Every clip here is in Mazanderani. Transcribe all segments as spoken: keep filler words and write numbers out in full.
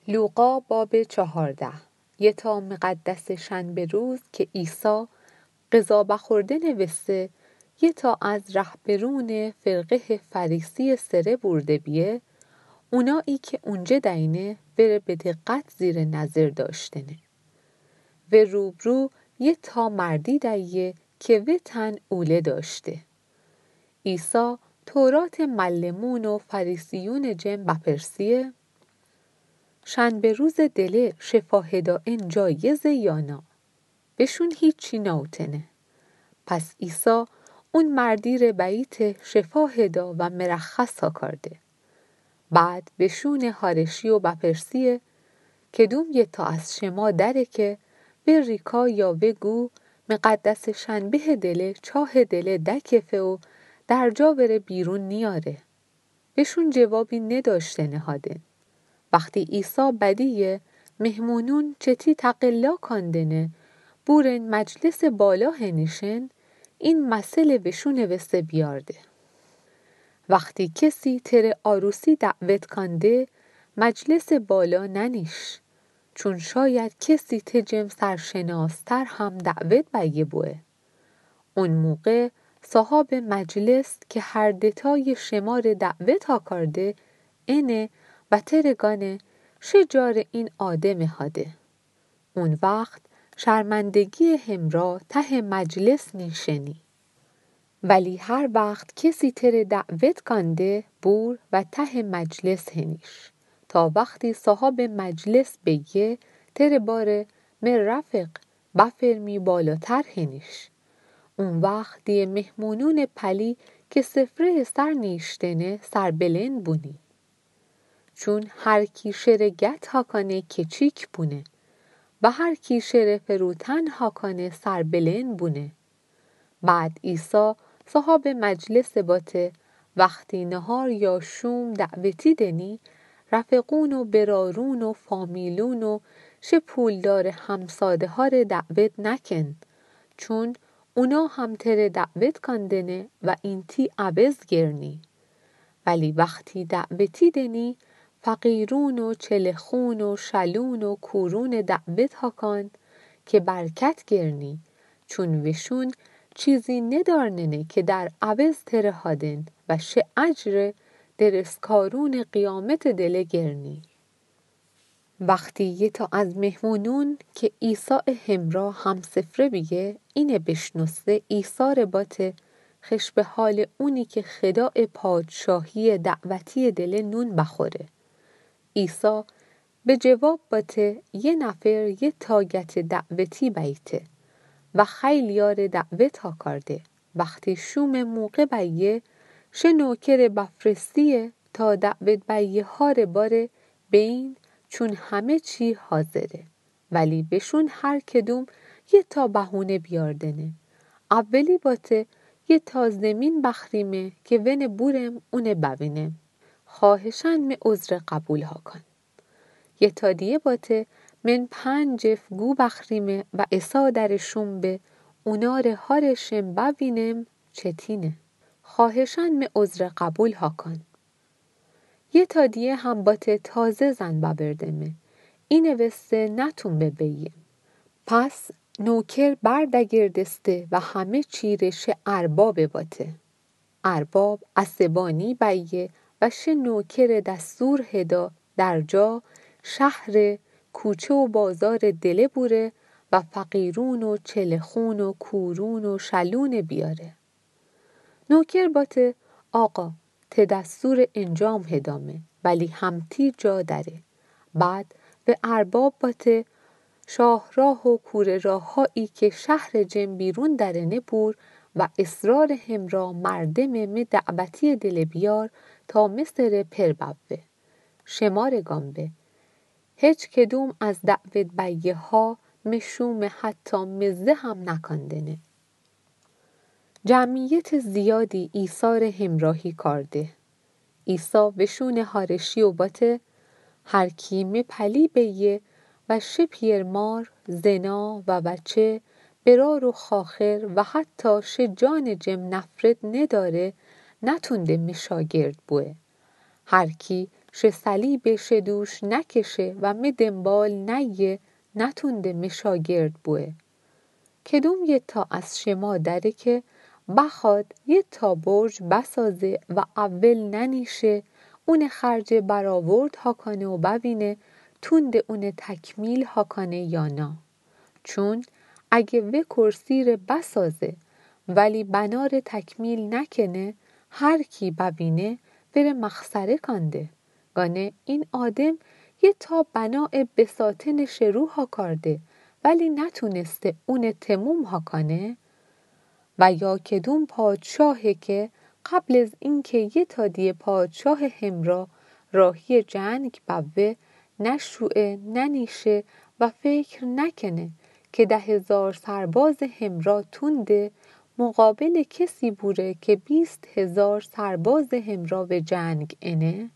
لوقا باب چهارده. یه تا مقدس شنبه روز که عیسی غذا بخوردن وسه، یه تا از رهبرون فرقه فریسی سره برده بیه، اونایی که اونجه دینه وره به دقت زیر نظر داشتنه. و روبرو یه تا مردی دیه که وتن اوله داشته. عیسی تورات معلمون و فریسیون جم بپرسیه، شنبه روز دله شفا هدائن جایزه یا نه؟ وشون هیچی ناوتنه. پس عیسی اون مردی ره بیته شفا هدا و مرخص هاکارده. بعد وشون هارشی و بپرسیه، کدوم یه تا از شما دره که و ریکا یا و گو مقدس شنبه دله چاه دله دکفه و درجا وره بیرون نیاره؟ وشون جوابی نداشته نهادن. وقتی عیسی بدیه مهمونون چتی تقلا کاندنه بورن مجلس بالا هنیشن، این مثل وشون وسه بیارده. وقتی کسی تره عروسی دعوت کانده، مجلس بالا ننیش، چون شاید کسی ته جم سرشناستر هم دعوت بیه بوه. اون موقع صاحب مجلس که هر دتای شمار دعوت هاکارده انه و تره گانه، شه جار این آدم هاده. اون وقت شرمندگی همرا ته مجلس نیشنی. ولی هر وقت کسی تره دعوت کانده بور و ته مجلس هنیش، تا وقتی صاحب مجلس بیه تره باره مه رفق بفرمی بالاتر هنیش. اون وقت دیه مهمونون پلی که سفره سر نیشتنه سربلند بونی. چون هر کی شره گت هاکانه کچیک بونه و هر کی شره فروتن هاکانه سربلند بونه. بعد عیسی صاحب مجلس باته، وقتی نهار یا شوم دعوتی دنی، رفقون و برارون و فامیلون و شه پولدار همساده ها ره دعوت نکن، چون اونا هم تره دعوت کاندنه و اینتی عوض گرنی. ولی وقتی دعوتی دنی، فقیرون و چلخون و شلون و کورون دعوت هاکان که برکت گرنی، چون وشون چیزی ندارننه که در عوض تره هادن و شه اجر درستکارون قیامت دله گرنی. وقتی یه تا از مهمونون که عیسی همرا همسفره بیه، اینه بشنوسه، عیسی ره باته، خش به حال اونی که خداء پادشاهی دعوتی دله نون بخوره. عیسی به جواب باته، یه نفر یه تا گت دعوتی بیته و خیلیار دعوت هاکارده. وقتی شوم موقع بیه، شه نوکر بفرستیه تا دعوت بیه ها ره باره بین، چون همه چی حاضره. ولی بشون هر کدوم یه تا بهونه بیاردنه. اولی باته، یه تا زمین بخریمه که ونه بورم اونه بوینم. خواهشاً مه عذر قبول هاکان. یه تا دیه باته، من پنج جف گو بخریمه و اسا در شوم به، اونا ره ها ره شم بوینم چتینه. خواهشاً مه عذر قبول هاکان. یه تا دیه هم باته، تازه زن ببردمه، اینه وسه نتون به بیم. پس نوکر بردگردسته و همه چی ره شه ارباب باته. ارباب عصبانی بیه و شه نوکر دستور هدا درجا شهر، کوچه و بازار دله بوره و فقیرون و چلخون و کورون و شلون بیاره. نوکر باته، آقا، ته دستور انجام هدامه، ولی همتی جا دره. بعد و ارباب باته، شاهراه و کوره راهایی که شهر جم بیرون درنه بور و اصرار همرا مردم مه دعوتی دله بیار تا مه سر پر ببه. شمار گام به. هچ کدوم از دعوت بیه ها مه شوم حتی مزه هم نکندنه. جمعیت زیادی عیسی ره همراهی کارده. عیسی وشون هارشی و باته، هر کی مه پلی بیه و شه پیرمار، زنا و وچه، برار و خاخر و حتی شه جان جم نفرت نداره، نتونده مه شاگرد بوه. هر کی She salibe she dush nakeše wa me denbal naye, natunde me shagird bue. Kedum yeta as shema dare ke bakhad yeta borj basaze wa awel nanishe, une kharje baraword hakane u bawine tunde une takmil hakane ya na. Chun age we kursire basaze, wali banare takmil nakene, har ki bawine were makhsare kande. Gane in adem yeta banae besateneše ru hakarde, wali natuneste une temum hakane. و یا کدوم پادشاهی که قبل از اینکه یه تا دیه پادشاه همرا راهی جنگ بوه، نشوئه، ننیشه و فکر نکنه که ده هزار سرباز همرا تونده مقابل کسی بوره که بیست هزار سرباز همرا به جنگ انه؟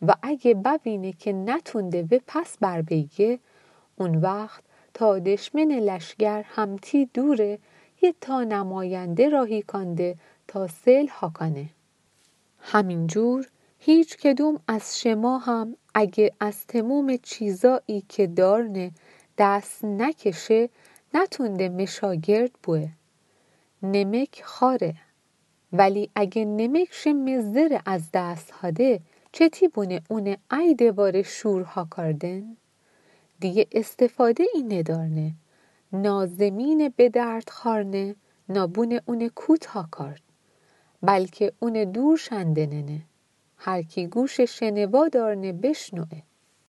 و اگه ببینه که نتونده و پس بر بیه، اون وقت تا دشمن لشگر همتی دوره یه تا نماینده راهی کانده تا صلح هاکانه. همینجور هیچ کدوم از شما هم اگه از تموم چیزایی که دارنه دست نکشه، نتونده مشاگرد بوه. نمک خاره. ولی اگه نمک شه مزدر از دست هده، چتی بونه اونه ای دواره شور هاکاردن؟ دیگه استفاده ای ندارنه، نا زمین به درد خارنه، نا بونه اونه کوت هاکارد، بلکه اونه دور شندننه. هر کی گوش شنوا دارنه بشنوه.